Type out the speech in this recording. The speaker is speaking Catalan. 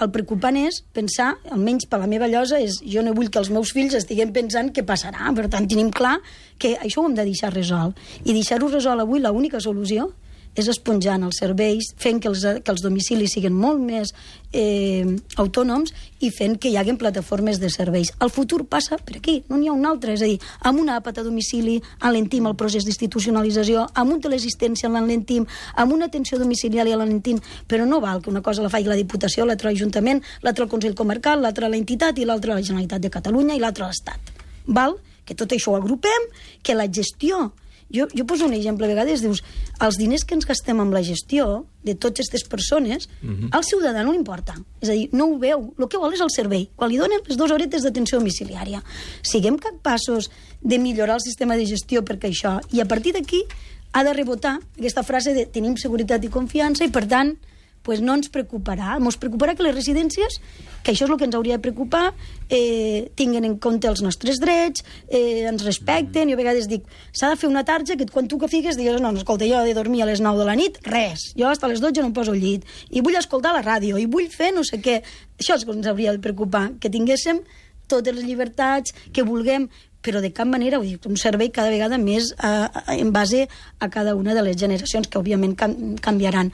El preocupant és pensar, almenys per la meva llosa, jo no vull que els meus fills estiguem pensant què passarà. Per tant, tenim clar que això ho hem de deixar resolt. I deixar-ho resolt avui, l'única solució és esponjant els serveis, fent que els domicilis siguin molt més autònoms i fent que hi hagi plataformes de serveis. El futur passa per aquí, no n'hi ha un altre. És a dir, amb una àpat a domicili enlentim el procés d'institucionalització, amb un teleassistència l'enlentim, amb una atenció domiciliària l'enlentim, però no val que una cosa la faci la Diputació, l'altra l'Ajuntament, l'altra el Consell Comarcal, l'altra l'entitat i l'altra la Generalitat de Catalunya i l'altra l'Estat. Val? Que tot això ho agrupem, que la gestió... Jo poso un exemple, a vegades dius, els diners que ens gastem amb la gestió de totes aquestes persones, al ciutadà no li importa. És a dir, no ho veu. El que vol és el servei. Quan li donen les 2 horetes d'atenció domiciliària. Siguem capaços de millorar el sistema de gestió perquè això... I a partir d'aquí ha de rebotar aquesta frase de tenim seguretat i confiança i, per tant, pues no ens preocuparà. Ens preocuparà que les residències, que això és el que ens hauria de preocupar, tinguin en compte els nostres drets, ens respecten. Jo a vegades dic, s'ha de fer una tarja que quan tu que figues digues, no, escolta, jo he de dormir a les 9 de la nit, res. Jo fins a les 12 no em poso al llit. I vull escoltar la ràdio, i vull fer no sé què. Això és el que ens hauria de preocupar, que tinguéssim totes les llibertats, que vulguem, però de cap manera, vull dir, un servei cada vegada més en base a cada una de les generacions que òbviament canviaran.